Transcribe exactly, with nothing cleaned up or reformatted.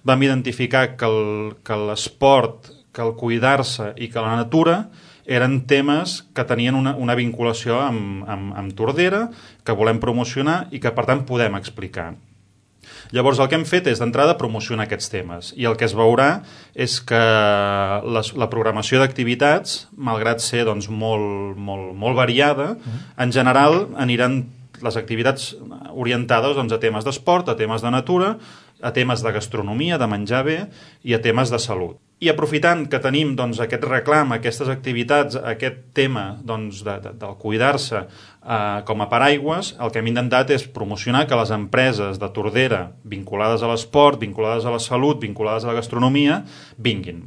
vam identificar que el, que l'esport, que el cuidar-se i que la natura eren temes que tenien una, una vinculació amb, amb, amb Tordera, que volem promocionar i que, per tant, podem explicar. Llavors, el que hem fet és, d'entrada, promocionar aquests temes. I el que es veurà és que la, la programació d'activitats, malgrat ser doncs, molt, molt, molt variada, en general aniran les activitats orientades doncs, a temes d'esport, a temes de natura, a temes de gastronomia, de menjar bé i a temes de salut. I aprofitant que tenim doncs, aquest reclam, aquestes activitats, aquest tema doncs, de, de, del cuidar-se eh, com a paraigües, el que hem intentat és promocionar que les empreses de Tordera vinculades a l'esport, vinculades a la salut, vinculades a la gastronomia, vinguin.